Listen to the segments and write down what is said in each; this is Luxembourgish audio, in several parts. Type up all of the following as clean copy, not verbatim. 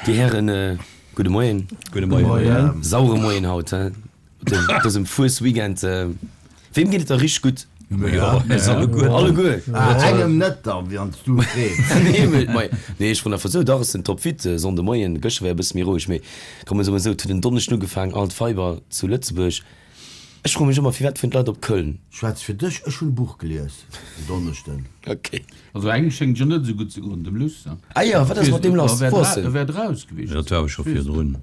Dir Hären, gudde Moien. Gudde Moien. Sauere Moien haut, he? Op dësem Fuesweekend. Weem geet et da richteg gutt? Jo, eis alleguer. Alleguer? Engem net da, wann s du frees. Nee, ech froen einfach esou. Dach, ech sinn topfit. Sonnde Moien, gëschter war e bësse méi roueg, mee komm, ech soe mol esou, et huet en Donneschden ugefaangen, all d'Weiber zu Lëtzebuerg. Ech froe mech ëmmer, firwat fueren d'Leit op Köln? Schwätz fir dech, ech hunn e Buch gelies en Donneschden. Ok. Also engem schéngt jo net esou gutt ze goen, dem Luss. Ah jo, wat ass mat deem lass? Wou ass en? E wär draus gewiescht. Dat war awer scho virdrun.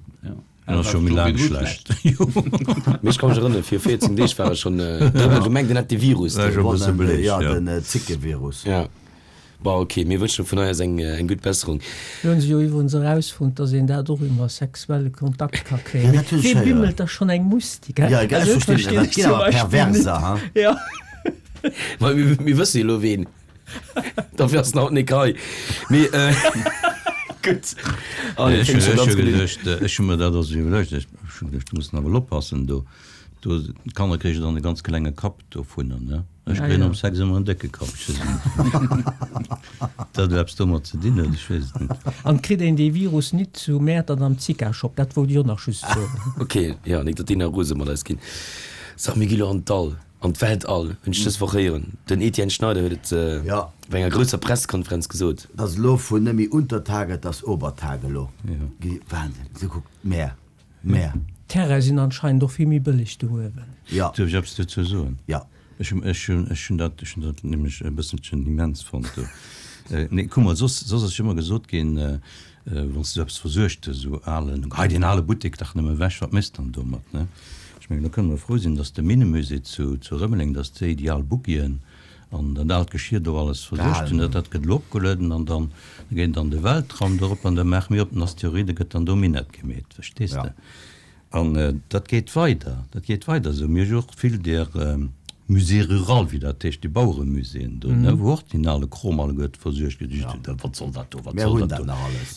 En ass scho méi laang schlecht. Mee ech ka mech erënneren, vir 14 Deeg war e schonn, do huet mer gemengt, en hätt de Virus. War scho e bësse bleech, jo. Jo, den Zickevirus. Ja. Bon, ok, mir wënschen vun hei aus eng gutt Besserung. Lo hunn se jo iwwerens erausfonnt, dass een dat och iwwer sexuelle Kontakt ka kréien. Mee wee bimmelt da schonn eng Mustik, hä? Jo, ech verstinn net, dat ginn awer Perverser, ha? Jo. Ma mir wësse jo elo ween. Dofir ass en haut nik hei. Mee gutt. Allez, fänkt scho ganz gutt un. Ech hu mer dat also iwwerluecht. Ech hu geduecht, ech muss awer elo oppassen do. Do, d'Kanner kréige dann e ganz klenge Kapp dovunner, ne? Ech kréien am Sex ëmmer en décke Kapp. Ech weess et net, ob dat elo eppes domat ze dinn huet, ech weess et net. An kritt een dee Virus nit zu Mäertert am Zika-Shop? Dat wollt ech och nach just soen. Ok, jo, nik datt déi nach rose mat eis ginn. So, mir gi lo an d'All, an d'Weltall, hunn ech dës Woch héieren. Den Etienne Schneider huet et op enger grousser Pressekonferenz gesot. Et ass elo vun net méi Untertage, et ass Obertage elo. Wahnsinn, esou kuck d'Mäer. Mä. D'Terraine sinn anscheinend och vill méi bëlleg do uewen. Jo. Duerf ech eppes dozou soen? Jo. Ech hunn, ech hunn, ech hunn dat, ech hunn dat nämlech e bësselchen immens fonnt do. Nee, kuck mol, soss, soss ass jo ëmmer gesot ginn, wann s de esou eppes versuergt hues, esou alen, gehei deen ale Buttek dach nëmme ewech, wat méchs de dann domat, ne? Ech mengen, do kënne mer frou sinn, dass de Minnemusée zu, zu Rëmeleng, dass déi déi al Buggien an dat aalt Geschir do alles versuergt hunn, dat gëtt elo opgelueden an dann geet et an de Weltraum dorop an da maache mir op den Asteroide gëtt dann do Minett gemeet, verstees de? An dat geet weider, dat geet weider esou. Mir hu jo och vill där Musées rurales, wéi dat heescht, déi Baueremuséeën do, ne, wou och deen ale Krom alleguerte versuergt gëtt. Just, wat soll dat do, wat soll dat do?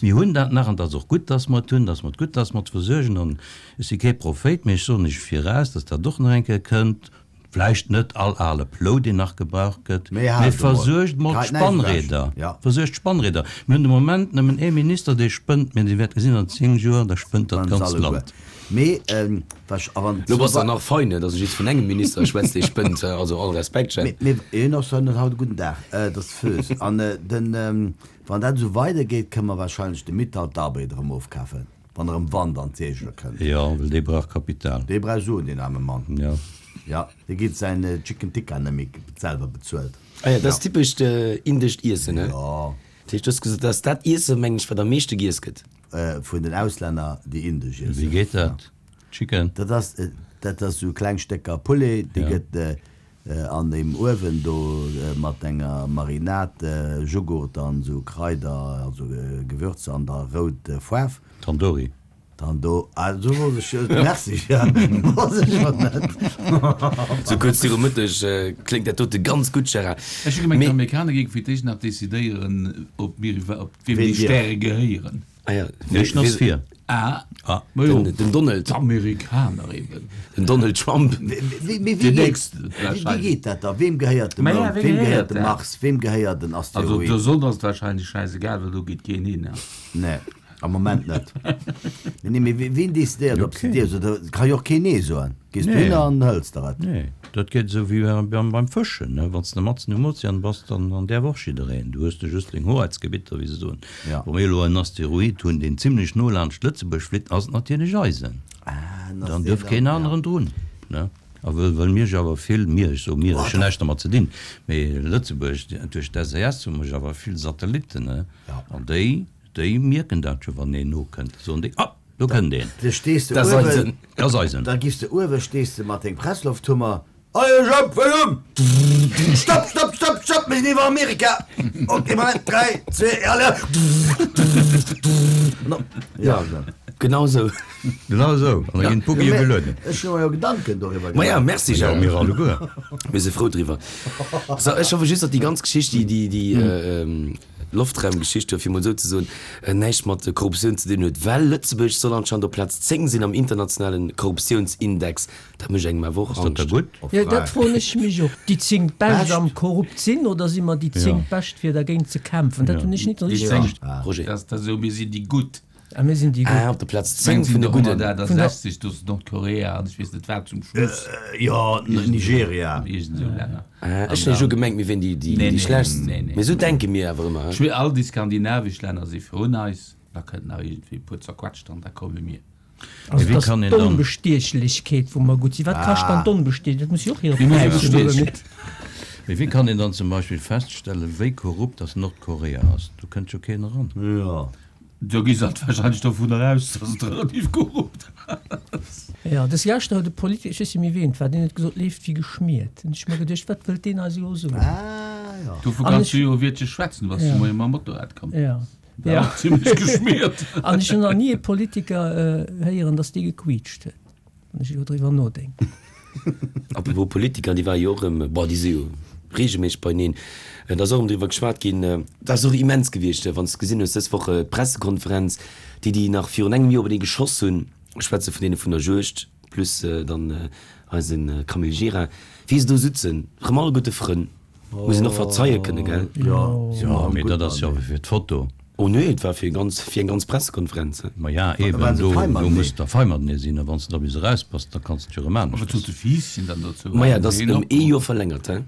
Mir hunn dat nach an dat ass och gutt, dass mer et hunn, dass mer et gutt, dass mer et versuergen. An ech si kee Prophéit, mee ech soen iech viraus, dass dat och nach eng Kéier kënnt. Vläicht net all ale Plou, deen nach gebraucht gëtt, mee versuergt mol d'Spannrieder. Versuergt d'Spannrieder. Mir hunn de Moment nëmmen ee Minister, dee spënnt, mee Dir wäert gesinn, an 10 Joer, da spënnt dat ganzt Land. Lo bass de nach fein, dass ech just vun engem Minister schwätz, dee spënnt. Also all Respekt, Jhemp. Wann dat esou weidergeet, kënne mer wahrscheinlech de Mittal d'Arbed erëm ofkafen. Wann erëm Wand an d'Seegele kënnt. Jo, well dee brauch Kapital. Dee brauch Suen, deen aarme Mann. Jo. Jo, dee kritt säin Chicken Tikka net méi selwer bezuelt. Ah jo, dat ass typescht indescht Iessen, he? Jo. Dat heescht, du hues gesot, dat ass dat Iessen, mengen ech, wat am meeschte giess gëtt. Vun den Auslänner, déi indesch iessen. Wéi geet dat, Chicken? Dat ass, dat ass esou kleng Stécker Poulet, déi gëtt An deem Uewen do mat enger Marinade, Jughurt an sou Kraider, also Gewürzer an der rout Foarf. Tandoori. Tando, ah sou wollt ech, merci, wosst ech jo net. Sou kuerz viru Mëtteg kléngt dat dote ganz gutt, Gérard. Ech hu gemengt, d'Amerikaner géinge fir d'éischt nach decidéieren, ob mir iwwer, ob wiem déi Stäre gehéieren. Ah ja, Wéi ass vir? Ah, ma jo, den Donald. D'Amerikaner eben. Den Donald Trump. Wéi geet dat da? Weem gehéiert de Mound? Weem gehéiert de Mars? Weem gehéiert en Asteroid? Also der Sonn ass et wahrscheinlech schäisegal, well do geet keen hin. Nee, am Moment net. Nee, mee wien decidéiert, ob se dierf? Oder ka jo och keen Nee soen. Gees du hin an hëls der et? Nee, dat geet esou wéi beim Fëschen, wann s de matzen um Ozean bass, dann däerf och jiddereen. Du hues du just deng Hoheitsgebitter, wéi se soen. Wa mir elo en Asteroid hunn, deen zimlech no laanscht Lëtzebuerg flitt, ass et natierlech eisen. Dann duerf keen aneren drun. A wëll mir jo awer vill, mir, ech soe mir, ech hunn näischt dermat ze dinn, mee Lëtzebuerg, duerch d'SES hu mer jo awer vill Satellitten, an déi, déi mierken dat jo, wann een nokënnt, da soen déi, Ah, do kënnt een. Da stees de Dat ass uewen, eisen. Dat ass eisen. Da giffs de uewe, stees de mat dengem Presslofthummer, Hei ech op, wëll um! Stopp, stopp, stopp, stopp, mir sinn iwwer Amerika! Ok, Moment, 3, 2, allez! Ja, genau esou. Genau esou. An da ginn d'Buggien gelueden. Ech hu mer jo Gedanken doriwwer gemaach. Ma ja, merci Gérard. Jo, mir alleguer. Mir si frou driwwer. So, ech hoffe just, datt déi ganz Geschicht, déi, déi, déi Loftraumgeschicht do, fir emol esou ze soen, näischt mat Korruptioun ze dinn huet, well Lëtzebuerg soll anscheinend op Plaz 10 sinn am internationale Korruptiounsindex. Dat mécht engem awer och Ass dat da Angscht. gutt? Jo, dat froen ech mech och. Déi 10 Bescht am korrupt sinn oder si mer déi 10 Bescht fir dergéint ze kämpfen? Dat hunn ech nit Déi richteg 10, verstanen. Roger. Dat ass esou, mir sinn déi Gutt. A mir sinn déi gutt. Ah, op der Plaz 10 vun de gudden. 160, do ass Nordkorea an ech weess net wat zum Schluss. Jo, Nigeria. Iergend esou Länner. Ah, ech hunn elo gemengt, mir wieren déi, déi schlechtst. Mee esou denke mir awer ëmmer, he? All déi skandinavesch Länner si virun eis, da kënnt nach iergendwéi e puer zerquetscht an da komme mir. Also et ass d'Onbestiechlechkeet, wou mer gutt sinn. Wat kascht dann d'Onbestiechlechkeet? Dat muss jo och hire Präis hunn, oder net? Mee wéi kann een dann zum Beispill feststellen, wéi korrupt dass Nordkorea ass? Do kënnt jo keen eran. Jo. Do gi se alt wahrscheinlech dovunner aus, dass et relativ korrupt ass. Jo, des Leschter huet e Politiker, ech weess net méi ween et war, deen huet gesot, leeft wéi geschmiert. Hunn ech mer geduecht, wat wëllt deen eis elo soen? Ah jo. Dovu kanns du jo e Wiertche schwätzen, du bass de Moie mam Motorrad komm. Jo. War och zimlech geschmiert. An ech hunn nach ni e Politiker héieren, datt dee gequiitscht huet, wann ech elo driwwer nodenken. Apropos Politiker, déi ware jo och erëm, bon, déi si jo reegelméisseg beieneen, et ass och erëm driwwer geschwat ginn, dat ass och immens gewiescht, wann s de gesinn hues dës Woch d'Pressekonferenz, déi déi nach virun engem Joer openee geschoss hunn, ech schwätze vun deene vun der Juegd plus dann eise Camille Gira, wéi se do sutzen, erëm alleguerte Frënn. Muss een och verzeie kënne, gell? Jo, Jo, mee dat ass jo awer fir d'Foto. Oh nee, et war fir ganz, fir eng ganz Pressekonferenz. Ma ja, eben, do, do muss der fei matenee sinn, a wann s de da bis eraus bass, da kanns de et jo erëm A wat aneschters. sot de Fiisschen dann dozou? Maja, Haten et se ass een ëm och? ee Joer verlängert, he? Maja,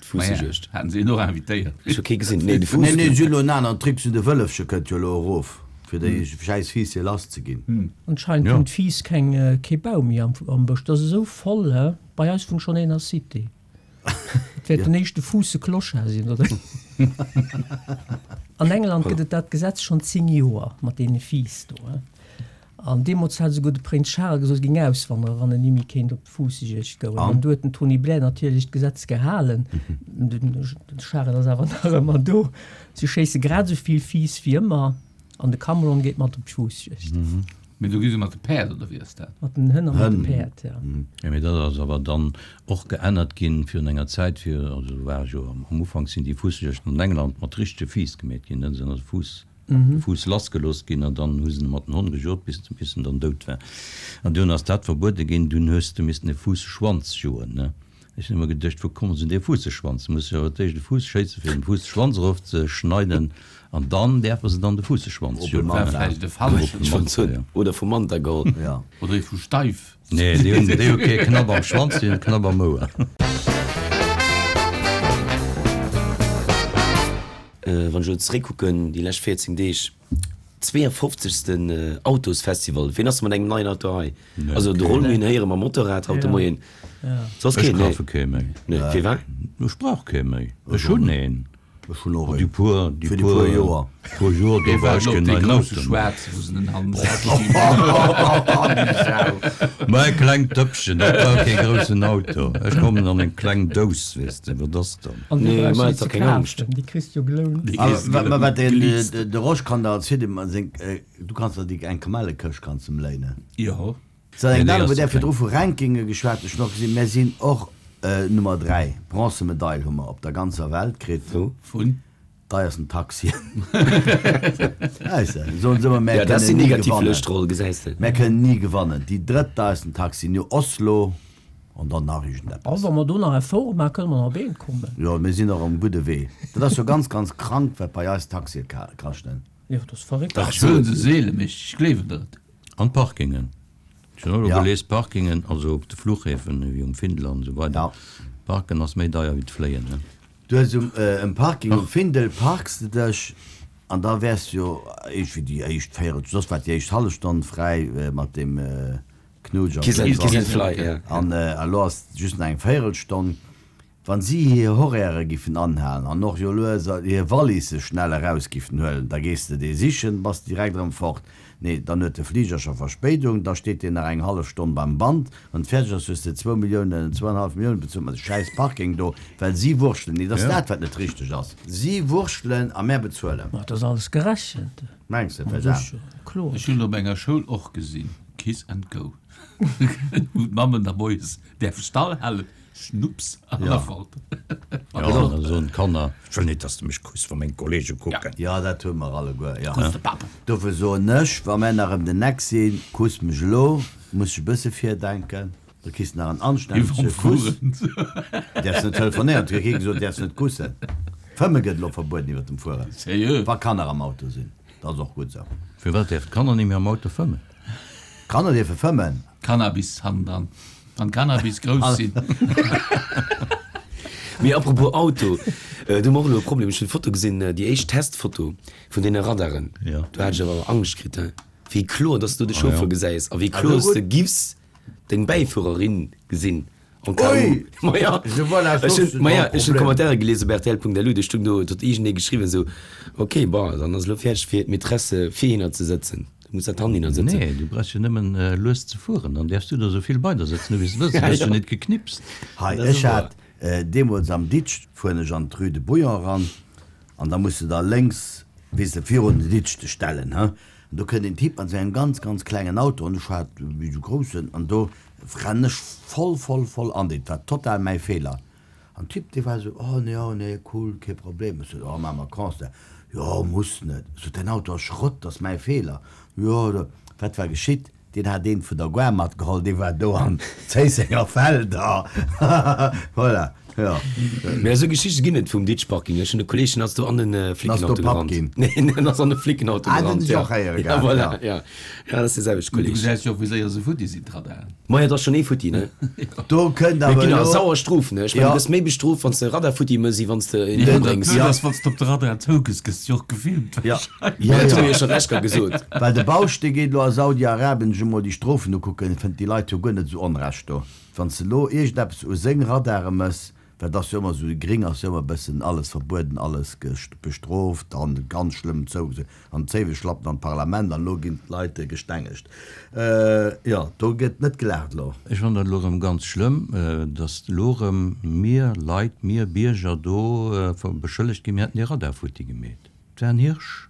D'Fuussejuegd. haten se een och invitéiert? Ech hu kee gesinn. Nee, de Fuuss. Nee, nee, si hunn elo en aneren Trick, si hunn de Wëllefche kënnt jo elo erof, fir déi schäiss Fiiss hier lass ze ginn. Anscheinend hunn d'Fiiss keng, kee Baum méi am, am Bësch. Dat ass esou voll, he? Bei eis wunnt schonn een a Cité. Et wäert den éischte Fuusse-Clochard sinn, oder? An England gëtt et dat Gesetz schonn 10 Joer mat deene Fiiss do. An deemools hat esouguer de Prénz Charles gesot, e géing auswanderen, wann en ni méi kéint op d'Fuussejuegd goen. An du huet den Tony Blair natierlech d'Gesetz gehalen. Den Charles ass awer nach ëmmer do. Si schéisse grad esou vill Fiiss wéi ëmmer an de Cameron geet mat op d'Fuussejuegd. Mee do gi se mat de Päerd, oder wéi ass dat? Mat den Hënn a mat de Päerd, jo. Jo, mee dat ass awer dann och geännert ginn virun enger Zäit, fir, also do war ech jo am Ufank, sinn déi Fuussejuegten an England mat richtege Fiiss gemeet ginn, da sinn also Fuuss, de Fuuss lassgelooss ginn an dann hu se mat den Honn gejot, bis, bis en dann dout war. An dunn ass dat verbuede ginn, dunn hues de missten e Fuusseschwanz joen, ne. Ech hunn ëmmer geduecht, wou kommen se un dee Fuusseschwanz? Du muss jo awer d'éischt e Fuuss schéissen, fir dem Fuusseschwanz erof ze schneiden, an dann däerfe se dann de Fuusseschwanz joen. War vläicht e falschen. Oder vum Manta geholl. Oder ee vu Steif. Nee, déi hunn, déi hu kee Knapp am Schwanz, déi hunn e Knapp am Ouer. Wann ech elo zeréckkucken, déi lescht 14 Deeg, 52. Autosfestival. Ween ass mat engem neien Auto hei? Also de Rollmühlen héiere mam Motorrad haut de Moien. Soss Ech keen? Nee. kafe kee méi. Nee, firwat? Ech brauch kee méi. Ech hunn een. Ech hunn och een. Déi puer, déi puer Joer. Puer Joer do war ech keen neien Auto méi. Mä e klengt Dëppchen, dat brauch kee groussen Auto. Ech kommen an eng kleng Dous, weess de. Wat ass dann? An déi Nee, brauchs du ma net et ze ass keng Angscht. kafen, déi kriss du jo gelount. Ma ma wat den de Rosch kann der erzielen, ma seng du kanns der déi eng Kamellekëscht kanns em léinen. Jo. Sou eng Nee, déi Dame ass huet ze där kleng. virdru vu Rankinge geschwat, ech hunn och gesinn, mär sinn och Nummer 3, Bronzemedail hu mer op der ganzer Welt kritt. Wou? Vun? Deiersten Taxien. Weess de, soen se ëmmer, mär Ja, dat kënnen sinn ni negativ gewannen. Lëschtroll, gesäis de. Mär kënnen ni gewannen. Déi drëttdeiersten Taxien, jo Oslo an dann nach Oh, iergendeppes. wa mer do nach Effort maachen, kënne mer nach op eent kommen. Jo, mir sinn och um gudde Wee. Dat ass jo ganz, ganz krank, wat bei eis Taxie kaschten. Jo, dat ass verréckt. Dach, soen se seelen, mee ech gleewen der et. An d'Parkingen. Ech hunn och elo Ja. gelies, d'Parkingen, also op de Fluchhäfen, wéi um Findel an esou weider, Ja. Parken ass méi deier wéi d'Fléien, ne? Du hues um um Parking um Findel parks de dech an da wäers de jo iergendwéi déi éischt Véierel, soss war déi éischt hallef Stonn fräi mat deem Knuutsch an Kiss and, Kiss Kiss and Fly, ja. An elo ass just nach eng Véierelstonn. Wann si hir Horairë giffen anhalen an och jo lues hir Walisse schnell eraus giffen huelen, da gees de dee sichen, bass direkt erëm fort. Nee, dann huet de Fliger scho Verspéidung, da steet deen nach eng hallef Stonn beim Band, wann et fäerdeg ass, hues de zwou Milliounen, zwouenhallef Milliounen bezuelt mat de schäiss Parking do, well si wurschtelen. Nee, et ass dat, wat net richteg ass. Si wurschtelen a mär bezuelen. Ma et ass alles gerechent. Mengs de, Ma Ferdinand? sécher, kloer. Ech hunn op enger Schoul och gesinn, Kiss and go, wou d'Mammen da moies däerfe Stall halen, Schnupps an der Falt. Jo, da soen d'Kanner, Ech wëll net, dass de mech kuss, wa meng Kollege kucken. Jo, dat hu mer alleguer, jo. Kuss de Papp. Dofir soen ech, wa mär nach ëm den Eck sinn, kuss mech elo, muss ech e bësse virdenken, da kriss de nach en anstännege Kuss. Däerfs net telefonéieren, et huet kee gesot, däerfs net kussen. Fëmme gëtt elo verbueden iwwer dem Fueren, Sérieux? wa Kanner am Auto sinn. Dat ass och gutt esou. Firwat däerf d'Kanner ni méi am Auto fëmmen? D'Kanner dierfe fëmmen. Cannabis hannendran, wann Cannabis grouss sinn. Mee apropos Auto, do hu mer och elo e Problem. Ech hunn d'Foto gesinn, déi éischt Testfoto vun deene Radaren. Do hat ech awer Angscht kritt, he, wéi kloer dass du de Chauffeur gesäis a wéi kloer s de giffs deng Bäifuererin gesinn. En cas où. Maja, ech hunn, maja, ech hunn d'Commentairen gelies op rtl.lu, do stung do, do huet iergendee geschriwwen esou, ok, bon, dann ass elo fäerdeg fir d'Maîtresse virhinner ze sëtzen, du muss dat hannhinner sëtzen. Nee, du brauchs jo nëmmen lues ze fueren, dann däerfs du der esou vill bei der sëtzen hu wéi s de wëlls, du gëss jo net geknipst. Hei, ech hat deemools am Ditsch, fueren ech an d'Rue de Bouillon eran, an da muss de da lénks, weess de, virun den Ditsch dech stellen, he, an do kënnt een Typ mat esou engem ganz, ganz klengen Auto, an ech hat méi esou groussen, an do Rennen ech voll voll voll an, dat war total mäi Feeler. An Typ dee war esou, oh nee, oh nee, cool, kee Problem. Ech sot, oh maache mer Constat. Jo, muss net. Ech sot, däin Auto ass Schrott, dat ass mäi Feeler. Jo, jo. Wat war geschitt? Deen hat een vun der Gare matgeholl, dee war do an Zéissenger Felder. Voilà, jo. Mä esou Geschichte ginn et vum Ditchparking. Ech hunn e Kolleeg, deen ass do an e Flickenauto gerannt. Nee, deen ass an e Flickenauto gerannt. Ah, dat hunn ech och héiere gehat, jo. Ja, voilà, jo. Ja, dat ass dee selwechte Kolleg. Du gesäis jo och, wéi séier se futti sinn, d'Radaren. Maja, et ass schonn ee futti, ne? Do kënnt awer elo. Mee et ginn awer sauer Strofen, ne? Ech mengen, du gëss méi bestrooft, wann s de e Radar futti mëss, wéi wann s de een ëmbréngs. Jo, dat ass, wann s de op de Radar zougëss, gëss de jo och gefilmt warscheinlech. Jo, dat hu mir jo schonn d'lescht Kéier gesot. Well de Bausch, dee geet elo a Saudi-Arabien sech emol déi Strofen ukucken, fënnt déi Leit jo guer net esou Onrecht do. Wann s de elo iergendeppes u seng Radare mëss, Well et ass jo ëmmer esou, gring ass jo ëmmer e bëssen alles verbueden, alles bestrooft an ganz schlëmm zou an d'Zéiweschlappen an d'Parlament an elo ginn d'Leit gestengegt. Jo, do gëtt net gelaacht elo. Ech fannen dat elo erëm ganz schlëmm, datt elo erëm mir Leit, mir Bierger do beschëllegt ginn, mir hätten dee Radar futti gemeet. Et war en Hirsch.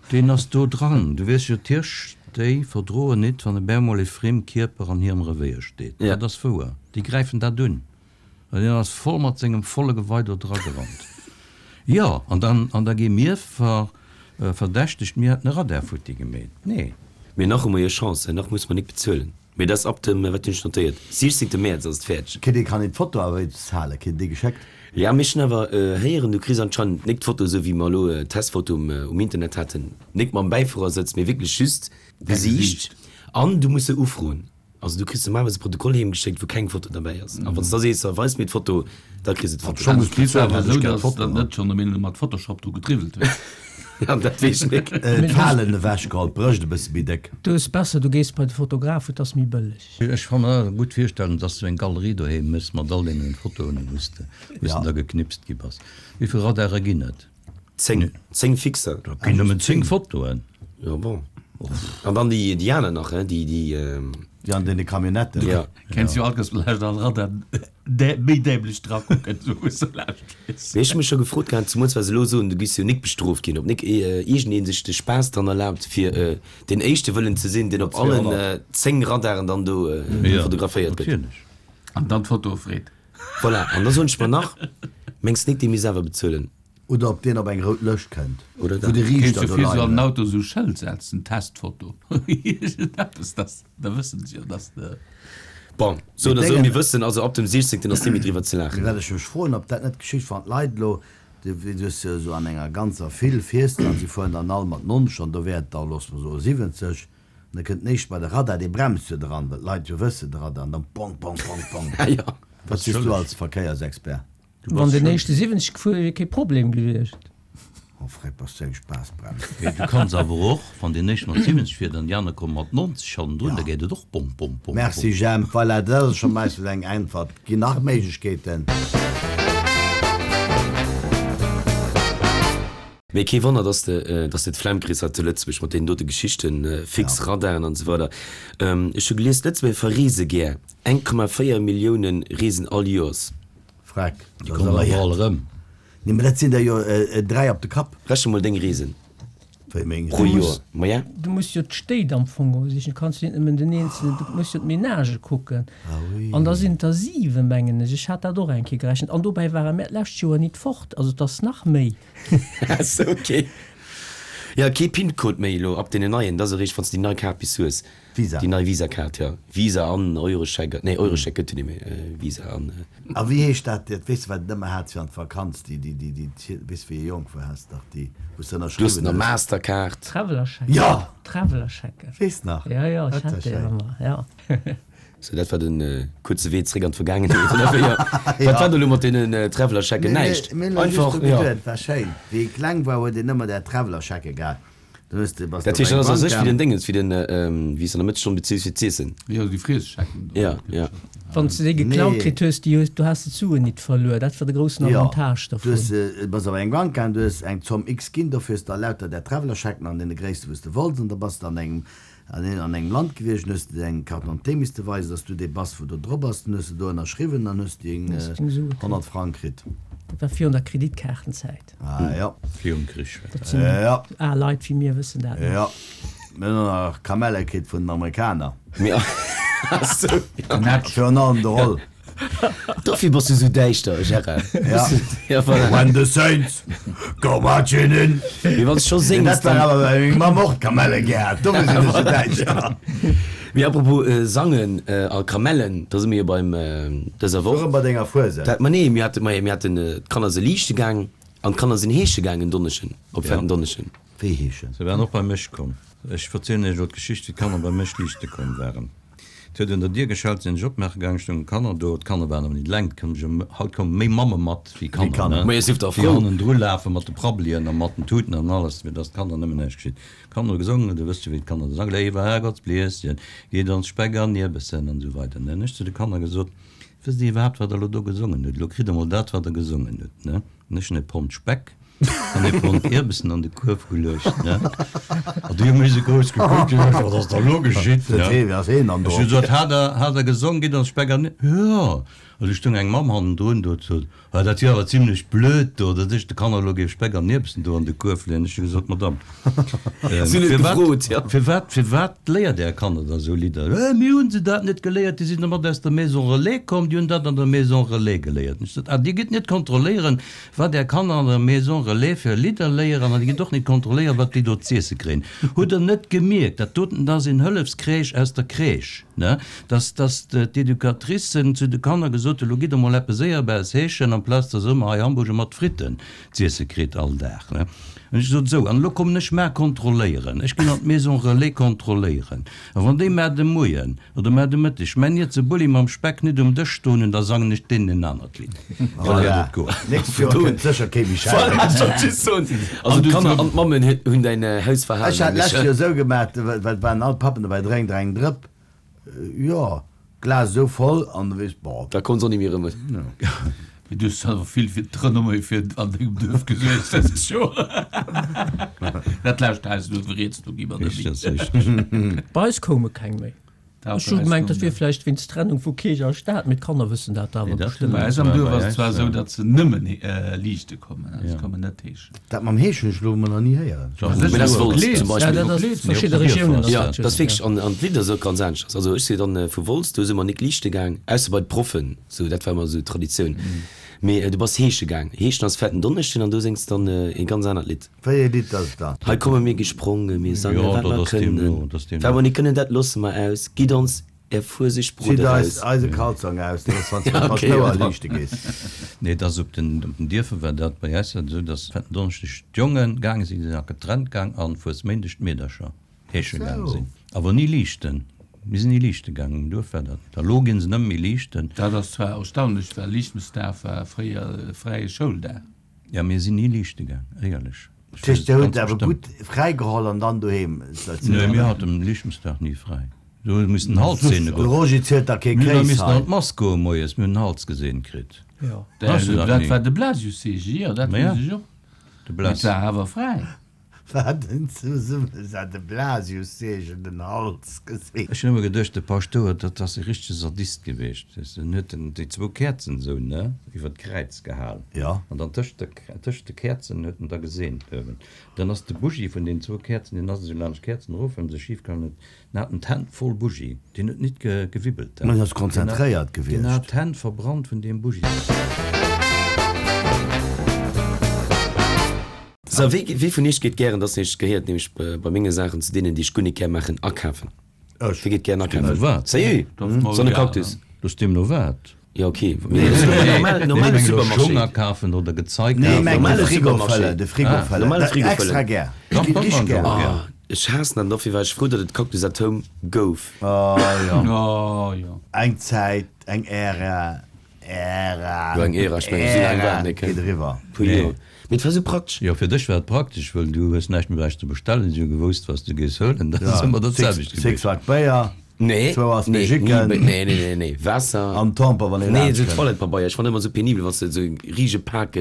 Deen ass do dran. Du weess jo, d'Hirsch, déi verdroen nit, wann op eemol e friem Kierper an hirem Revéier steet. Dat ass wouer. Déi gräifen dat un. An deen ass voll mat sengem volle Gewei do dra gerannt. Jo, an dann, an da gi mir ver, verdächtegt, mir hätten e Radar futti gemeet. Nee. Mee nach hu mer jo Chance, nach musse mer nik bezuelen. Mee dat ass ab dem, wat hunn ech notéiert, 16 Mäerz ass et fäerdeg. Kritt ee kann een d'Foto awer wéinstens halen? Kritt een déi geschéckt? Ja, mee ech hunn awer héieren, du kriss anscheinend nik d'Foto esou wéi mer elo d'Testfoto um Internet haten, nik mam Bäifuerersëtz, mee wierklech just d'Gesiicht an du muss se ufroen. Also du kriss normalerweis e Protokoll heem geschéckt, wou keng Foto derbäi ass. A wann s de da sees, weis mir d'Foto, da kriss de d'Foto. Scho muss bezuelen, hätt ech gär d'Foto. Net schonn elo mat Photoshop dru getriwwelt huet. Ja, dat weess ech nik. D'Falen ewech geholl, d'Brëscht e bësse méi déck. Du hues besser, du gees bei de Fotograf, et ass méi bëlleg. Ech ka mer gutt virstellen, dass du eng Galerie doheem hues mat all deenen Fotoen, wou s de da geknipst gi bass. Wéi vill Radare ginn et? 10, 10 fixer. Dat ginn nëmmen 10 Fotoen. Jo bon. An dann déi déi aner nach, hein, déi déi. Déi an deene Camionnetten. Ja. Kenns jo alt, dass vläicht all Radar méi dämlech dra kucken, sou wou se laascht gees. Mee ech hu mech scho gefrot gehat, zemools well se elo soen, du giss jo nik bestrooft ginn, ob nik iergendeen sech de Spaass dran erlaabt, fir deen éischte wëllen ze sinn, deen op allen 10 Radaren dann do fotograféiert gëtt. Natierlech. An dann d'Fotoe freet. Voilà, an da soen ech mer nach, mengs nik, dee misst awer bezuelen? Oder ob deen op eng rout Lëscht kënnt, Oder wou dat. de Kéints Riichter jo do fir sou leien an den huet. Auto sou Schëld setzen, Testfoto, iergendeppes, dass, da wëssen se jo, dass de. Bon, sou Mee oder sou, déngen. mir wëssen also, ab dem 16. ass net méi driwwer ze Mee laachen. wat ech mech froen, ob dat net geschitt, wann d'Leit elo, du hues jo esou an enger ganzer File fiers de an si fueren dann all mat 90 an do wär et da, loosse mer soe 70, an da kënnt den éischte bei de Radar, dee bremst jo dran, well d'Leit jo wëssen, de Radar, an dann pong, pong, pong, pong. Jo. Wat sees du als Verkéiersexpert? Wann den éischte 70 gefuer wier, wier kee Problem gewiescht. Oh Fred, bass du eng Spaassbrems. Mee du kanns awer och, wann deen éischte mat 70 fiert an déi aner komme mat 90 hannendrun, da geet et och bom, bom, bom, bom. Merci Jemp, voilà, dat ass scho meistens eng Äntwert. Ginn nach Méiglechkeeten. Mee kee Wonner, dass de, dass de d'Flemm kriss hei zu Lëtzebuerg mat deenen dote Geschichten, fix Radaren an esou weider. Ech hu gelies, d'Lëtzebuerger verreese gär, 1,4 Millioune reesen all Joers. Freck, Déi kommen awer all erëm. Nee, mä dat sinn der jo 3 op de Kapp. Rechne mol deng Reesen Wéi meng pro Reesen? Joer. Maja. Du muss jo d'Stéit am Fong och sichen. Du kanns jo net nëmmen den eenzelen, du muss jo d'Menagë kucken. Ah oui. An da sinn et der 7, mengen ech. Ech hat dat och eng Kéier gerechent. An dobäi ware mär d'lescht Joer nit fort. Also et ass nach méi. Ah sou, ok. Jo, kee PIN-Code méi elo ab deenen neien, dat ass eréischt wann s de déi nei Kaart bis hues. Visa. Déi nei Visa-Kaart, jo. Visa an Euroscheck, nee Euroscheck gëtt jo net méi, Visa an. A wéi heescht dat, dat weess de wat et ëmmer hat fir an d'Vakanz, déi, déi, déi, déi, weess wéi ee jonk war, has dach déi, wou s de Du hues ënnerschriwwen nach hues. Mastercard. Travelerschecken. Jo! Travelerschecken. Weess nach? Jo, jo, ech hat déi ëmmer, jo. Sou, dat war den kuerze Wee zréck an d'Vergaangenheet, oder wéi? Wat war do elo mat deenen Travelerschecken? Näischt. Mir hunn Einfach, just jo. geduet, et war schéin. Wéi ee kleng war, huet een ëmmer där Travelerschecke gehat. Dann hues de, bass Dat de op heescht, dat eng ass a Bank sech wéi gaang. den Déngens, wéi den, wéi s de an der Mëttesstonn bezils fir z'iessen. Jo, déi Friesschecken do. Ja, ja. Wann s de déi geklaut Nee. kritt hues, déi hues, du has de d'Suen nit verluer. Dat war de groussen Jo, Avantage du dervun. hues, bass op eng Bank gaang, du hues eng Zomm X ginn, dofir hues de da lauter där Travelerschecken an deene Gréisste wou s de wollts an da bass de an engem An een an engem Land gewiescht, dann hues de deng Carte d'identité misste weisen, dass du dee bass, wou do drop ass. Dann hues de do ënnerschriwwen, dann hues de deng 100 Frang kritt. Dat war virun der Kreditkaartenzäit. Ah jo. Virum Krich war dat. Jo. Al Leit wéi mir wëssen dat nach. Jo. Mir hunn och nach Kamelle kritt vun den Amerikaner. Virun allem de Roll. Dofir bass du sou däischter, Gérard. Ja. Ja, voilà. When the Saints go marching in. Mee wann s scho séngs, Dat war dann. awer well meng Mamm och d'Kamelle gär hat, dofir sinn ech sou däischter. Mee apropos sangen a Kamellen, da si mir jo beim dëser Woch. Erëm bei denger Fuesent. Dat, ma nee, mir hate, ma mir haten, d'Kanner si liichte gaang an d'Kanner sinn heesche gaang en Donneschen, op Fetten Donneschen. Wéi heeschen? Se waren och bei mech komm. Ech verzielen iech elo d'Geschicht, wéi d'Kanner bei mech liichte komm waren. Et huet un der Dier geschellt, sinn ech opmaache gaang, stoungen d'Kanner do. D'Kanner waren awer nit eleng, et koumen haut koume méi Mamme mat wéi Kanner, ne, déi hannendru lafe mat de Prabbelien a mat den Tuten an alles, fir dass d'Kanner nëmmen näischt geschitt. D'Kanner hu gesongen, du wësst jo wéi d'Kanner da sangen, Léiwer Herrgottsblieschen, gitt ons Speck an Ierbessen an esou weider, ne. Hunn ech zu de Kanner gesot, Wësst Dir iwwerhaapt, wat Der elo do gesongen hutt? Elo kritt Der mol dat, wat Der gesongen hutt, ne. Hunn ech en e Pond Speck an e Pond Ierbessen an de Kuerf geluecht, ne? An déi hu mech esou grouss gekuckt, déi hu gesot, Wat ass da elo geschitt, ne? Ech hu gesot, Hat der, hat der gesong, gitt ons Speck an. Jo! An du stoung eng Mamm hannendrun, do huet gesot, Ah, dat wier awer zimlech blöd do, datt ech de Kanner elo géif Speck an Ierbessen do an de Kuerf leeën. Ech hu gesot, Madame, firwat, firwat, firwat léiert Är Kanner da esou Lidder? Mir hu se dat net geléiert, déi sinn domat aus der Maison Relais komm, déi hunn dat an der Maison Relais geléiert. Ech sot, Ah, Dir gitt net kontrolléieren, wat Är Kanner an der Maison Relais fir Lidder léieren an Dir gitt och net kontrolléieren, wat déi do z'iesse kréien. Hutt Der net gemierkt, dat doten ass een Hëllefscrèche aus der Crèche, ne? Dass, dass d'Educatricen zu de Kanner gesot hunn, Lo gitt Der mol eppes Éierbares heeschen, amplaz dass Der ëmmer hei Hamburger mat Fritten z'iesse kritt all Dag, ne? An ech gesot, Sou, an elo kommen ech mar kontrolléieren. Ech ginn an d'Maison Relais kontrolléieren. A wann déi mar de Moien oder mar de Mëtteg mäin Ierze Bulli mam Speck nit um Dësch stoen hunn, da sangen ech deenen en anert Lidd. Voilà, nächst Joer kënnt sécher kee méi schellen. Voilà, ech wollt just soen, also d'Kanner an d'Mammen hunn däin Hausverhalen Ech hat d'lescht Joer esou gemaach, well et waren all d'Pappen dobäi, drénkt der eng Drëpp? Jo, d'Glas esou voll an du weess, boah. Da konns och ni méi erëm. Mee du hues awer vill fir d'Renommée fir an dengem Duerf gesuergt dëst Joer. Dat lescht Haus do riets, do gi mer net méi. Bei eis koume keng méi. Ech hu gemengt, dat wier vläicht wéinst Trennung vu Kierch a Staat, mee d'Kanner wëssen dat awer bestëmmt. Bei eis am Duerf ass et zwar esou, datt se nëmmen liichte kommen, se kommen net heeschen. Dat mam Heeschen hunn ech elo emol nach ni héieren. Mee dat ass Wolz zum Beispill. Ja, dat ass verschidde Regiounen ass dat Jo, dat ass wierklech, an d'Lidd ass och ganz aneschters. Also ech si dann vu Wolz, do si mer nik liichte gaang, ausser bei d'Proffen. Sou, dat war ëmmer esou Traditioun. Mee du bass heesche gaang. Heeschen ass Fetten Donneschden an do séngs dann ee ganz anert Lidd. Wéi ee Lidd ass et dann? Hei komme mir gesprongen, mir sange wat mer kënnen. Wat mer nit kënnen, dat losse mer aus. Gitt ons är Fueseg Brot Zitt eis eraus. eise Kalzong aus, dat ass wann s de mat Paschtouer liichte gees. Nee, et ass op den Dierfer war dat bei eis esou, dass Fetten Donneschdeg d'Jonge gaange sinn, déi sinn nach getrennt gaang, an Fuesméindeg d'Meedercher. Heesche gaang sinn. Awer ni liichten. Mir sinn ni liichte gaang, um Duerf war dat net. A lo ginn se nëmme méi liichten. Dat ass zwar erstaunlech, well Liichtmesdag war fréier e fräie Schouldag. Jo, mir sinn ni liichte gaang, éierlech. Dat heescht, Dir hutt awer gutt fräi geholl an dann doheem sëtzen? Nee, mir haten Liichtmesdag ni fräi. Do hu missen den Hals seene De goen. Roger zielt da kee Mir hu Kéis missen hei. an d'Mass goe moies, mir hunn den Hals geseent kritt. Dat war de Blasiusseege, jo, dat weess ech och. De Mee et Blas. war awer fräi. Wat en Zesummeset, de Blasiusseegen den Hals geseent. Ech hunn ëmmer geduecht, de Paschtouer, dat ass e richtege Sadist gewiescht, weess de, en huet den, déi zwou Käerzen esou, ne, iwwer d'Kräiz gehal. Jo. An dann tëscht de, tëscht de Käerzen huet en da geseent uewen. Dann ass de Bougie vun deenen zwou Käerzen, deen ass esou laanscht d'Käerzen erof, well se schif gehaangen huet, en hat en d'Hänn voll Bougie, deen huet nit ge, gewibbelt. En ass konzentréiert gewiescht. Deen hat d'Hänn verbrannt vun deem Bougie. Sou, wee, wee vun iech geet gären, dat ass nämlech, gehéiert nämlech bei menge Saachen zu deenen, déi ech guer nik gär maachen, akafen? Ech. Wee geet gären akafen? Deemno wat? Sérieux? Sonne Cactus? Looss deemno wat? Jo, ok. Mee normal, normale Supermarché. Schong akafen oder Gezei Nee, kafen? meng de Normale Frigo Supermarché. fëllen, de Frigo fëllen. Normale Frigo Extra fëllen. gär. Dach, Ech ginn dat richteg man ech gär. och gär. Ah, ech haassen dat an dofir war ech frou, datt et Cactus at Home gouf. Oh jo. Oh jo. Eng Zäit, eng Ära. Ära, Jo, eng Ära, ech mengen, esou laang war et net, geet eriwwer. Puer Joer. Mee et war esou praktesch. Jo, fir dech war et praktesch, wëll du hues näischt méi bräichte bestellen, si hu gewousst, wat s du géifs huelen, dat ass ëmmer dat selwecht gewiescht. Sixpack Béier, Nee, zwou nee, Aspergicken ni, nee, nee, nee, nee, Waasser. an Tamper, wann ee Nee, esou laanscht kënnt. Toilettepabeier, ech fannen ëmmer esou penibel, wann s de esou e riesege Pak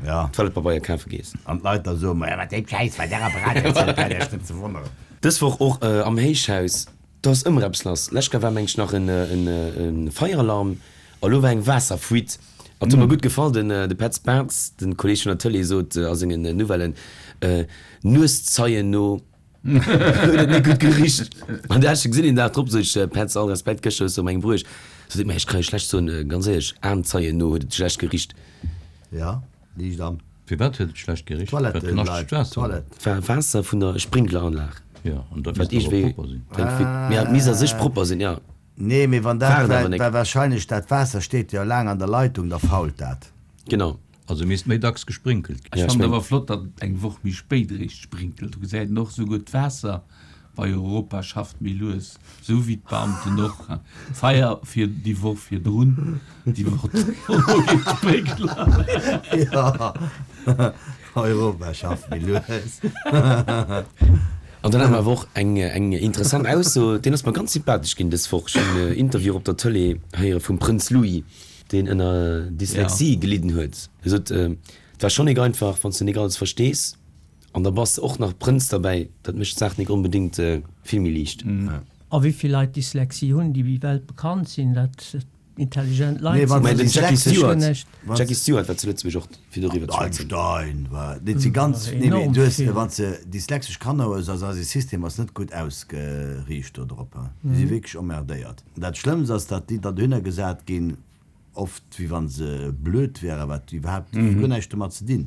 Ja. Toilettepabeier kafe gees. An d'Leit da soen, Maja, wat déi Schäiss bei där Apparat huet, dat ass net ze wonneren. Dës Woch och am Héichhaus. Do ass ëmmer eppes lass. Lescht Kéier war meng ech nach en Feieralarm a lo war eng Waasserfuite. An et huet mer gutt gefall, den de Petz Bartz, den Kolleg vun der Tëlee sot a sengen Nouvellen, Nueszeien no huet et net gutt gericht. An du hat ech gesinn een Dag drop, sot ech, Petz, all Respekt, gëschter hues du op mengem bruecht. Sot hie, mä ech ka jo schlecht soen, ganz éierlech, Aenzeien no huet et schlecht gericht. Ja. Liicht an. Firwat huet et schlecht gericht? War Toilette, knaschtegt Leit, Waasser? Toilette. War Waasser vun der Sprinkleranlag. Jo, an dat Wat misst awer iergendwéi propper sinn. Mee et misst a sech propper sinn, jo. Nee, mee wann War dat, et awer well, nek. well wahrscheinlech dat Waasser steet jo laang an der Leitung, da fault dat. Genau. Also misst méi dacks gesprinkelt ginn. Ech Ja, ech fannen meng. awer flott, datt et eng Woch méi spéit eréischt sprinkelt. Do gesäit een och esouguer d'Waasser bei Europa schafft méi lues, esou wéi d'Beamten och. Feier fir déi Woch virdrun, déi Woch dono geet d'Sprinkler. Jo, Europa schafft méi lues. An dann hat mer awer och eng eng interessant Ausso, deen ass mer ganz sympathesch ginn dës Woch. Ech hunn en Interview op der Tëlee héiere vum Prënz Louis, deen ënner Dyslexie gelidden huet. Hie sot, Et war schonn nik einfach, wann s de nik alles verstees. An da bass de och nach Prënz derbäi, dat mécht d'Saach nik onbedéngt vill méi liicht. A wéi vill Leit Dyslexie hunn, déi weltbekannt sinn, dat intelligent Leit sinn, Mä den Jackie Stewart, Wann Jackie Stewart war zu Lëtzebuerg och fir doriwwer ze schwätzen. Einstein war, dat si ganz, nee mee du hues, wann s de dyslexesch Kanner hues, ass eise System ass net gutt ausgeriicht do drop, déi si wierklech emmerdéiert. Dat Schlëmmst ass, datt déi dann dohinner gesat ginn, Oft wéi wann se blöd wären, wat iwwerhaapt guer näischt domat ze dinn.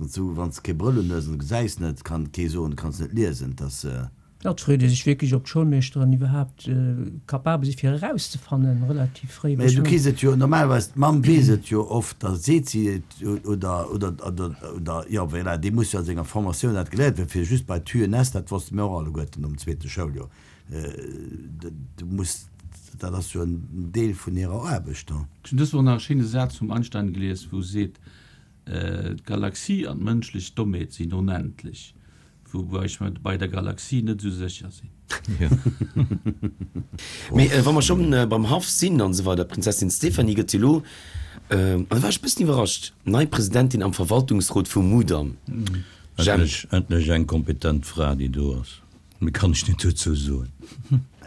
Sou wann s kee Brëll un hues an du gesäis net, kann kee soen du kanns net liesen. Et ass. Jo, et freet ee sech wierklech, ob d'Schoulmeeschteren iwwerhaapt capabel si fir erauszefannen, relativ fréi. Mä du kriss et jo normalerweis, d'Mamm weess et jo oft, da seet si et oder, oder, oder, oder, jo voilà, dee muss jo an senger Formatioun dat geléiert hunn, fir just bei d'UNS, dat wosste mir och alleguerten nom zweete Schouljoer. Du muss, dat ass jo en Deel vun hirer Aarbecht. Ech hunn dës Woch nach e schéine Saz vum Einstein gelies, wou e seet, D'Galaxie an d'mënschlech Dommheet sinn onendlech, woubäi ech mer bei der Galaxie net esou sécher sinn. Mee wa mer schonn beim Haff sinn an esou weider, d'Prinzessin Stéphanie gëtt jo elo, an da war ech e bëssen iwwerrascht, nei Presidentin am Verwaltungsrot vum Mudam. Endlech, endlech eng kompetent Fra, déi do ass. Méi kann ech net dozou soen.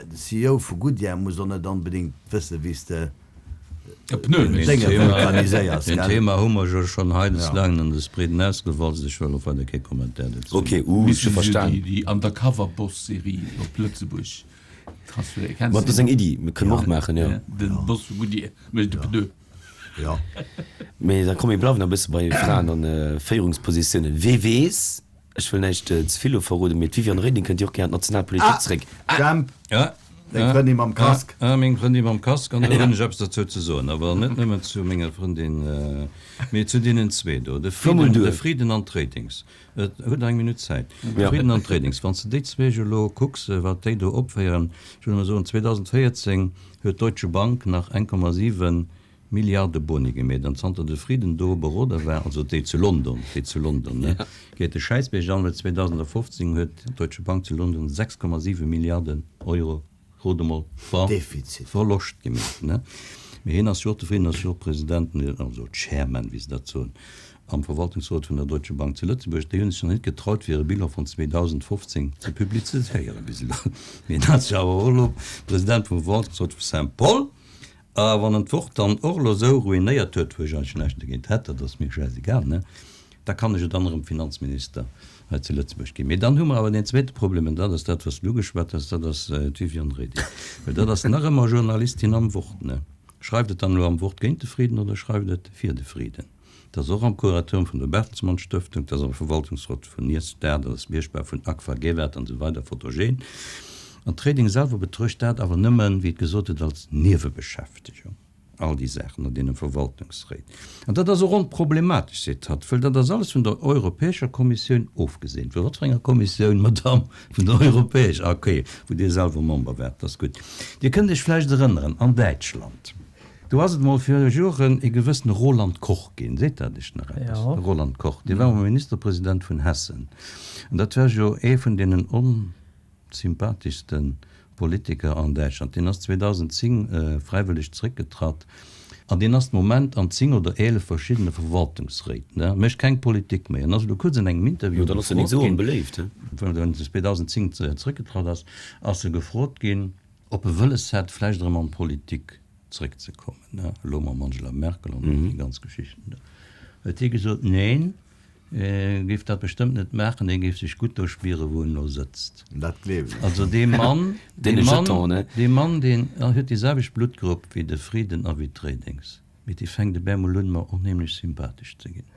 De CEO vu Goodyear muss och net onbedéngt wëssen, wéi s de E Pneu Deen Dénge Thema, vulkaniséiers, deen gell? Thema hu mer jo schonn hei des laangen an des breeden ausgewalzt. Ech wëll och weider kee Commentaire dozou Ok, maachen. uh, ech hu Missten se verstan. déi déi Undercover-Boss-Serie op Lëtzebuerg transféieren? Kenns Ma de dat ass déi eng nach? Iddi, kënne mer och maachen, jo. Den Boss vu Goodyear mécht e Pneu. Jo. Mee da komm, mir bleiwen nach e bësse bei Fraen an Féierungspositiounen. Wee weess, Ech wëll näischt ze vill elo verroden, mee d'Viviane Reding kënnt jo och gär an d'national Politik zréck. Ah! Jemp, Ja, deng Frëndin mam Casque. Ah, meng Frëndin mam Casque, an do hunn ech eppes derzou ze soen, awer net nëmmen zu menger Frëndin, mee zu deenen zwee do, de Frieden, de Frieden an d'Redings. Et hutt Der eng Minutt Zäit. De Frieden an d'Redings, wann s de déi zwee elo kucks, wat déi do opféieren, ech wëll emol soen, 2014 huet d'Deutsche Bank nach 1,7 Milliarde Boni gemeet an zanter de Frieden do Beroder war, also déi zu London, déi zu London, ne, geet de Schäissbierg an, well 2015 huet d'Deutsche Bank zu London 6,7 Milliarden Euro, rot emol, Ver, Defizit. Verloscht gemeet, ne. Mee hien ass jo och, de Frieden ass jo och President, also Chairman, wéi se dat soen, am Verwaltungsrot vun der Deutsche Bank zu Lëtzebuerg. Déi hunn sech nach net getraut, fir hire Bilan vun 2015 ze publizéieren bis elo. Mee hien ass jo awer och elo President vum Verwaltungsrot vu Saint-Paul. A wann en d'Wort dann och elo esou ruinéiert huet, wou ech eigentlech näischt dogéint hätt, dat ass mir schäisegal, ne, da kann ech jo dann erëm Finanzminister hei zu Lëtzebuerg ginn. Mee dann hu mer awer deen zweete Problem, an dat ass dat, wat s du ugeschwat hues, dat ass d'Viviane Reding. Well dat ass nach ëmmer Journalistin am Wort, ne. Schreift et dann elo am Wort géint de Frieden oder schreift et fir de Frieden? Dat ass och am Kuratorium vun der Bertelsmann Stëftung, dat ass am Verwaltungsrot vun Nyrstar, dat ass Mierschbar vun Agfa Gevaert an esou weider Photogen. An d'Reding selwer betruecht dat awer nëmmen, wéi et gesot huet, als Niewebeschäftegung, all déi Saachen an deene Verwaltungsréit. An dat ass och onproblematesch, seet hatt, wëll dat ass alles vun der Europäescher Kommissioun ofgeseent. Vu wat fir enger Kommissioun, Madamm? Vun der Europäescher, ah okay, wou Dir selwer Member waart, dat ass gutt. Dir kënnt Iech vläicht erënneren, an Däitschland, Do ass et mol viru Joren e gewëssene Roland Koch ginn. Seet dat Iech nach eppes? Jo. De Roland Koch, dee war mol Ministerpresident vun Hessen. An dat war jo ee vun deenen onsympatheschste Politiker an Däitschland. Deen ass 2010 fräiwëlleg zeréckgetratt an deen ass de Moment an 10 oder 11 verschiddene Verwaltungsréit, ne, mécht keng Politik méi an ass elo kuerz an engem Interview Jo, dann ass en nik gefrot esou ginn, onbeléift, he? wou en 2010 zeréckgetratt ass, ass e gefrot ginn, Ob e wëlles hätt, vläicht erëm an d'Politik zréckzekommen, elo mam Angela Merkel an déi ganz Geschichten do, huet hie gesot, neen, e géif dat bestëmmt net maachen, hie géif sech gutt do spieren, wou en elo sëtzt. Dat gleewen ech. Also dee Mann, dee Mann, dee Mann, deen huet déi selwecht Bluttgrupp wéi de Frieden a wéi d'Redings. Mee dee fänkt e bemol un, mer onheemlech sympathesch ze ginn.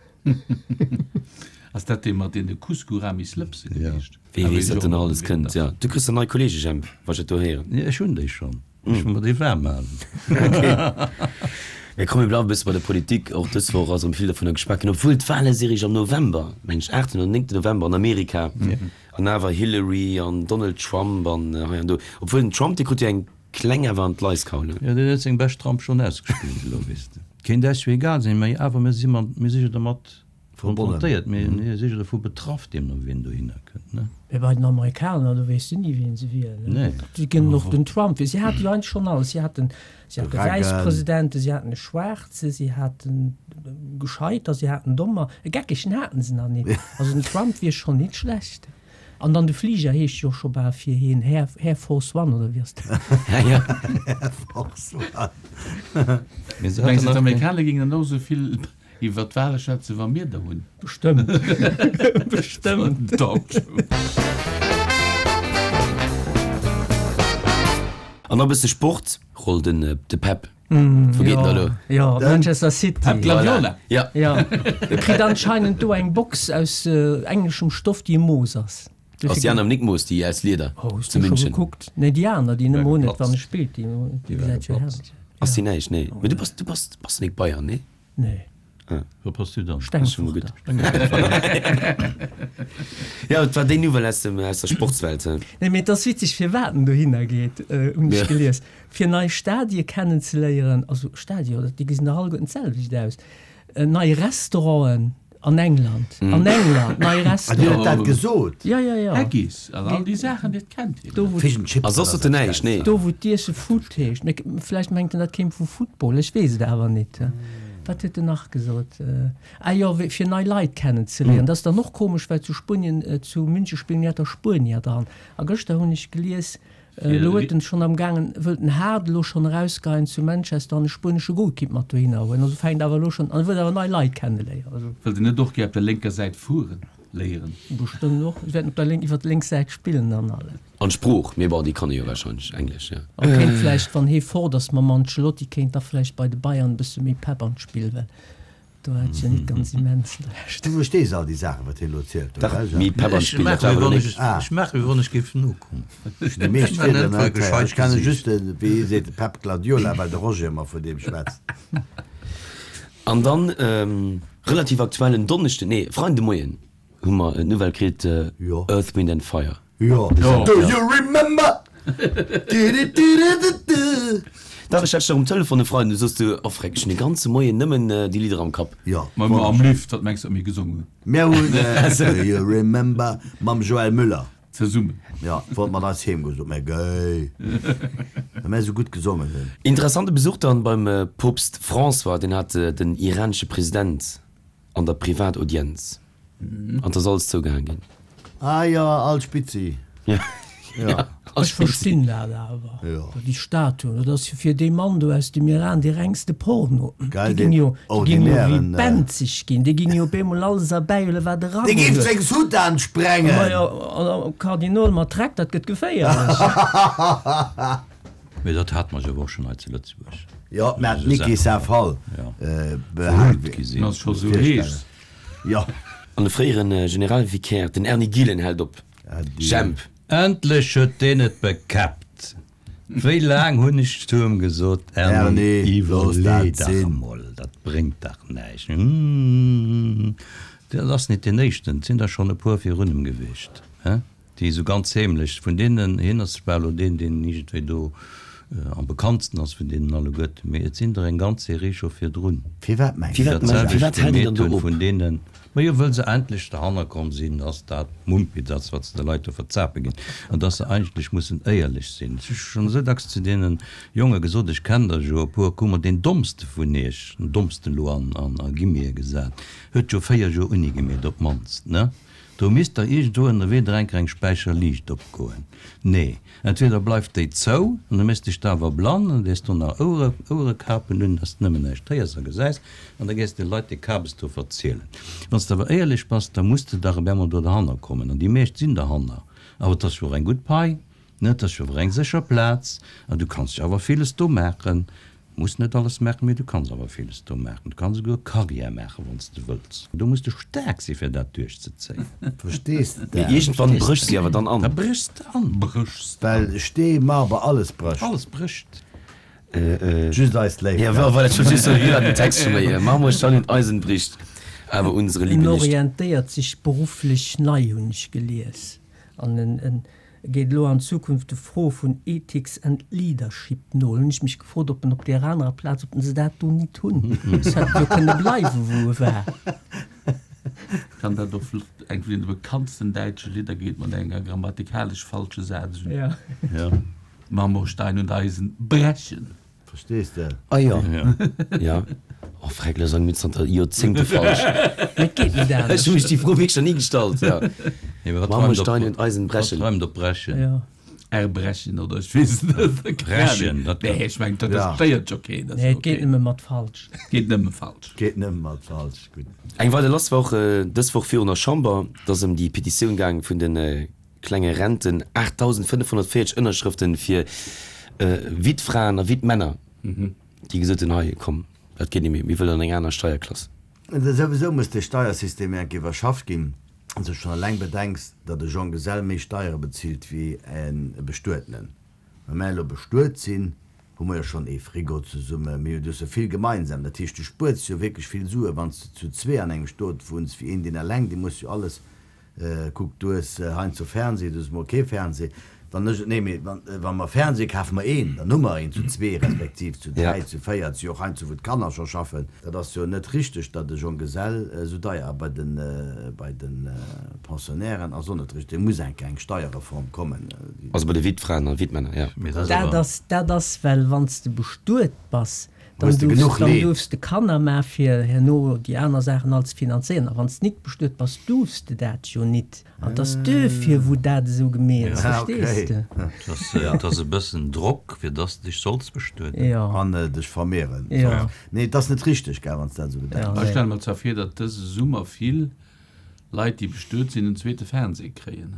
Ass dat dee mat deene Couscouramis-Lëpse gewiescht? Wee weess, wat do nach alles kënnt. Jo, du kriss der nei Kolleege, Jemp, wa ech dat do héieren. Jo, ech hunn déi schonn. Ech muss mer déi waarm halen. Mee komm, mir bleiwe e bësse bei der Politik. Och dës Woch ass erëm vill dovunner geschwat ginn, obwuel d'Wale si réischt am November, mengen ech, 8 oder 9 November an Amerika. An awer Hillary an Donald Trump an hei an do. Obwuel den Trump, dee krut jo eng Kleng awer an d'Leiskaul, ne? Jo, deen huet seng bescht Ramp schonn ausgespillt elo, weess de. Kéint äis jo egal sinn, mä awer mir si mat, mir si jo dermat konfrontéiert, mir si jo dovu betraff, deemno wien dohinner kënnt, ne? Mä bei den Amerikaner, do weess de ni wien se wielen, ne? Nee. Si kënnen och den Trump wielen. Si hate jo eigentlech schonn alles. Si haten, si hate Wäisspresidenten, si haten e Schwaarze, si haten Gescheiter, si haten Dommer. E Geckegen haten se nach nit. Also den Trump wier schonn nit schlecht. An dann de Fliger heescht jo och scho bal fir hien Air, Air Force One, oder wéi ass dat? Air Force One. Mengs de d'Amerikaner géingen dann och esou vill iwwer d'Wale schwätzen, wa mir der hunn? Bestëmmt. Bestëmmt. An nach e bësse Sport, Roll den de Pep. Wou geet en da elo? Jo, Manchester City. Pep Guardiola. Ja. Ja. E kritt anscheinend do eng Box aus engleschem Stoff, déi e Mooss ass. Ass déi aner nik Mooss, déi aus Lieder Oh, hues zu du scho München? gekuckt? Nee, déi aner, déi nëmme War un et geplatzt. wann e spillt, déi Déi war gesäit jo geplatzt. herrlech. Ass déi näischt? Nee. Mee du bass, du bass, bass nik Bayern, nee? Nee. Wou bass du dann? Stengefurter. Ja, et war déi Nouvelle aus dem, aus der Sportswelt. Nee, mee et ass witzeg, firwat en dohinner geet, hunn ech gelies. Fir nei Stadie kennenzeléieren, also Stadie, oder déi gesinn dach alleguerten d'selwecht aus, nei Restauranten an England, an England, nei Ah, dir Restauranten. huet dat gesot? Ja, ja, ja. Haggis an all déi Saachen, dat kennt hien. Do, wou Fish and Chips A soss oder huet en dat näischt, nee. Do, wou d'Iesse Food heescht. Mee vläicht mengt en, dat kéim vu Football, ech weess et awer nit. Wat huet en nach gesot? Ah jo, fir nei Leit kennenzeléieren. Dat ass dann och komesch, well zu Spuenien, zu Münche spillen jo der Spuenier dran. A gëschter hunn ech gelies, elo huet en schonn am gaangen, wëllt den Hart elo schonn erausgeien zu Manchester an e spuenesche Golkipp mat dohinner huelen. Also fänkt awer elo schonn an, wëllt awer nei Leit kenneléieren. Also. Wëllt en net och gär op der lénker Säit fueren léieren? Bestëmmt och. Si wäerten op der lénk, iwwer d'lénk Säit spillen an alles. An d'Sprooch, mee bon, déi kann e jo warscheinlech, Englesch, jo. A kéint vläicht, wann hee fort ass mam Ancelotti, kéint da vläicht bei de Bayern e bësse méi Pepp an d'Spill, well do hat et jo net ganz immens schlecht. Du verstees all déi Saachen, wat hien elo zielt, Dach, oder? méi Pepp an Ech d'Spill, dat maache war wéi awer wann elo ech, nik. ech maache wéi wann ech géif nokommen. Ech hunn déi meescht Ech maachen Wierder einfach e net héieren. gescheit Ech kenne Gesiicht. just de, wéi hie seet, de Pep Guardiola, well de Roger ëmmer vun deem schwätzt. An dann, relativ aktuell, en Donneschden, nee, Freiden de Moien hu mer d'Nouvelle kritt, Earth, Wind and Fire. Jo. Do you remember? Du-du-du-du-du-du. Dach, ech hat dech nach um Telefon e Freiden, du soss du, oh freck, ech hunn de ganze Moien nëmmen déi Lidder am Kapp. Jo. Ma mer am Lift, wat mengs du, wat mir gesongen hunn? Mir hunn Do you remember mam Joël Müller. Zesummen. Jo, wollt mat eis heem goen, sot mir, géi, well mir esou gutt gesongen hunn. Interessante Besuch dann beim Poopst François, deen hat den iranesche President an der Privataudienz. An 't ass alles zougehaang ginn. Ah jo, all Spitzi. Ja, Jo. all Ech Spitzi. verstinn dat awer, Jo. déi Statuen, dat ass jo fir dee Mann do aus dem Iran dee rengste Porno. Déi Geil, ginn deen jo, déi ginn jo wéi ordinären. benzeg ginn, déi ginn jo op eemol alles erbäihuelen, wat e Dee Rang géif huet. seng Soutane sprengen! Ma jo, an e Kardinol mat Räck, dat gëtt geféierlech. Mee dat hate mer jo awer och schonn hei zu Lëtzebuerg. Jo, mä d'Niki Saint-Phal verhullt gi sinn. Ass scho sou heescht. Jo. An de fréiere Generalvicaire, den Erny Gillen, hält op. Jemp. Endlech huet deen et bekäppt! Wéi laang hunn ech zu em gesot, Erny, iwwerlee dach emol, dat bréngt dach näischt. Dat ass nit deen éischten, et sinn der schonn e puer virun em gewiescht, he? Déi esou ganz heemlech, vun deenen, hien ass zwar elo deen, deen iergendwéi do am bekanntsten ass vun deenen alleguerten, mee et sinn der eng ganz Serie scho virdrun, Firwat mengs déi de? dat selwecht gemeet hunn, vun deenen, majo, wëll se endlech derhanner komm sinn, dass dat Mumpitz ass, wat se de Leit do verzape ginn, an dass se eigentlech mussen éierlech sinn. Ech hu schonn esou dacks zu deene Jonge gesot, ech kennen der jo e puer, kuck mol, deen Dommste vun iech, den Dommsten elo an a Guillemete gesat, huet jo 4 Joer Uni gemeet op d'mannst, ne? Do misst der iergendwou ënnerwee der enker eng Späicher Liicht opgoen. Nee, entweder bleift déi zou an du méchs dech da awer blann an dees do nach Ouere, Ouerekapen un, dass de nëmmen näischt héiers a gesäis an da gees de Leit dee Kabes do verzielen. Wann s de awer éierlech bass, da muss de dach op eemol do derhanner kommen an déi meescht sinn derhanner. Awer et ass jo och eng gutt Pai, ne, et ass jo awer eng sécher Plaz an du kanns jo awer villes do maachen. Muss net alles maachen, mee du kanns awer villes do maachen. Du kanns esouguer Carrière maachen, wann s de wëlls. Do muss de staark sinn, fir dat duerchzezéien. Verstees de Mee iergendwann bréchs de awer dann an. Da bréchs de an. Bréchs de an. Well Stee, Marber, alles brécht. Alles brécht. Just eis Léift Ja, net. voilà, ech wollt just soen, wéi war den Text scho méi? Marmor, Stein und Eisen bricht, aber unsere En Liebe nicht. orientéiert sech berufflech nei, hunn ech gelies. An en geet elo an Zukunft de Fro vun Ethics and Leadership no. Hunn ech mech gefrot, ob en op där anerer Plaz, ob se dat do nit hunn. Es hätt jo kënne bleiwen, wou e war. Kann dat och flott, eng vun de bekanntsten däitsche Lidder geet mat enger grammatikalesch falsche Saz un. Ja. Marmor, Stein und Eisen brechen. Verstees de? Ah jo, ja. Oh freck, lo sange mir zanter Joerzéngte falsch. Mee et geet net Ech anescht. hu mech déi Fro wierklech nach ni gestallt, ja. Nee, wat Marmor, reimt op, Stein und Eisen wat brechen. reimt op brechen? Ja. Erbrechen oder ech weess et net. Keng Brechen, Ahnung. dat Nee, kann. ech mengen, dat Ja. stéiert jo keen. Dat Nee, ass et geet okay. nëmme mat falsch. Geet nëmme falsch. Geet nëmme mat falsch, gutt. Eng weider lass war och dës Woch virun der Chamber. Et ass ëm déi Petitioun gaang vun de Klenge Renten, 8.540 Ënnerschrëften fir Wittfraen a Wittmänner, déi gesot hunn, hei komm, dat geet net méi, mir wëllen an eng aner Steierklass. Souwisou muss dee Steiersystem enk iwwerschafft ginn, wann s de schonn eleng bedenks, datt e Jonggesell méi Steiere bezilt wéi e Bestuetenen. Wa mär elo bestuet sinn, hu mer jo schonn ee Frigo zesummen, mir hunn jo vill gemeinsam. Dat heescht, du spuers jo wierklech vill Sue wann s de zu zwee an engem Stot wunns, wéi een, deen eleng, dee muss jo alles Kuck, du hues heiansdo Fernseh, du hues mol kee Fernseh. Wann ech, nee, mee wa mer Fernseh kafe mer een, dann hu mer een zu zwee, respektiv zu dräi, zu véier, et si jo och heiansdo wou d'Kanner scho schaffen. Dat ass jo net richteg, datt e Jonggesell esou deier, a bei de, bei de Pensionnairen ass och net richteg. Do muss eng eng Steierreform kommen. Also bei de Wittfraen a Wittmänner, jo. Mee dat ass Dat awer. ass, dat ass well wann s de bestuet bass, Dann Hues de duerfs, genuch dann Leed? duerfs de Kanner maa fir herno déi aner Saachen all ze finanzéieren. A wann s nit bestuet bass, duerfs de dat jo nit. An 't ass duerfir wou dat esou gemeet ass, Ah, verstees okay. de? Et ass, et ass e bëssen Drock, fir dass de dech solls bestueden. Jo. An dech vermehren Jo. solls. Nee, et ass net richteg, gell, wann s dat esou Ja, bedenks. Ech stelle mer zwar vir, datt dëse Summer vill Leit, déi bestuet sinn, en zweete Fernseh kréien.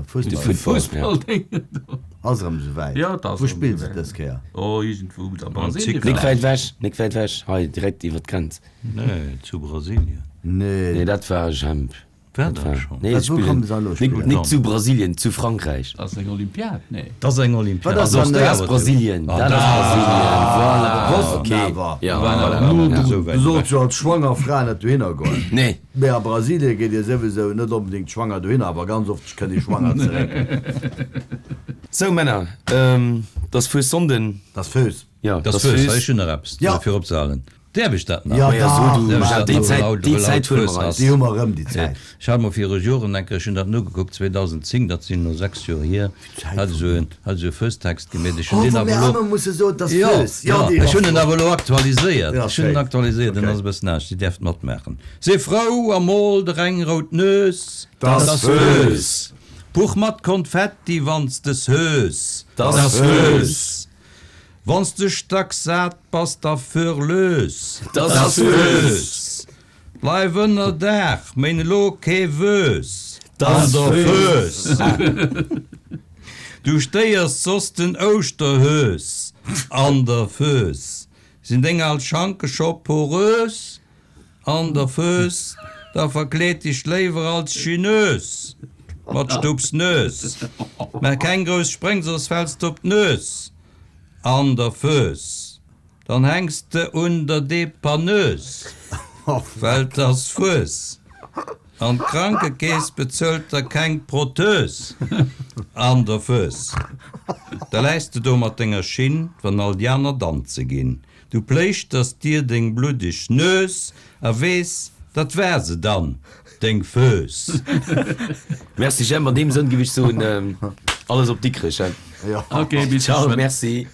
Fussball. Ass erëm esou wäit. Ja, et ass Wou erëm spillen se esou wäit. dës Kéier? Oh, iergendwou a Brasilien Nik vläicht. wäit ewech, nik wäit ewech, hei direkt iwwer d'Grenz. Nee, zu Brasilien. Nee. Nee, dat war Jemp. War dat schonn? Nee, Wat, wou spillen kommen se elo nik, spillen? nik zu Brasilien, zu Frankräich. Ass eng Olympiad? Nee. Dat ass eng Olympiad. Wat ass Also, dann, dat ass Brasilien, dat ass Brasilien, voilà, Wossten okay. awer. Ja, War voilà. awer no Ja. drun. Du solls jo als schwanger Fra net dohinner goen. Nee. Mee a Brasilie geet ee souwisou net onbedéngt schwanger dohinner, awer ganz oft kënnt ee schwanger zeréck. Sou Männer, et ass Fuessonnden. T'ass Fööss. Jo, T'ass t'ass Fööss. Fööss. Ech hunn nach eppes Ja. fir opzehalen. Däerf ech dat nach? Ja, Maja, so dach, du, Däerf ech Michel, dat déi nach, Zäit, well haut, déi well haut Zäit huele Fööss mer eis. ass? Déi hu mer erëm, déi Zäit. Ech hat mol viru Joren eng Kéier, ech hunn dat nogekuckt, 2010, dat sinn elo 6 Joer hier, hat ech esou en, hat ech esou e Fööstext gemeet. Ech hunn Oh, deen wou awer mir elo, ëmmer musse soen, t'ass jo, Fööss. jo, Jo, déi ech ass hunn en flott. awer elo aktualiséiert. Deen ass Ech hunn en schéin. aktualiséiert, en Okay. ass e bëssen anescht. Dir däerft matmaachen. Si frou a mol der eng rout Nues. T'ass Fööss. Puch mat Konfetti, wann s de s'hues. T'ass Fööss. Wann s de stacksat bass, da fuer lös. T'ass Fööss. Bleif ënner Daach, méin elo kee Wös. T'ass An der Fööss. Fööss. Du stéiers soss den Ouschterhös an der Föös. Sinn deng al Schanke scho porös an der Föös, da verkleed dech léiwer als Chinös mat Stupsnös. Maach keng grouss Spréng, soss fäls d'op d'Nös an der Föös. Dann hänks de un der Depanneuse, well 't ass Fues, an d'Krankekeess bezuelt der keng Protheus an der Föös. Da läis de do mat denger Schinn, wann all déi aner danze ginn. Du pléischters dir deng bluddeg Nues a weess, dat war se dann, deng Föös. Merci Jemp, an deem Sënn giff ech soen, alles op Dikrech, he? Ok, bis Ciao, geschwënn. merci.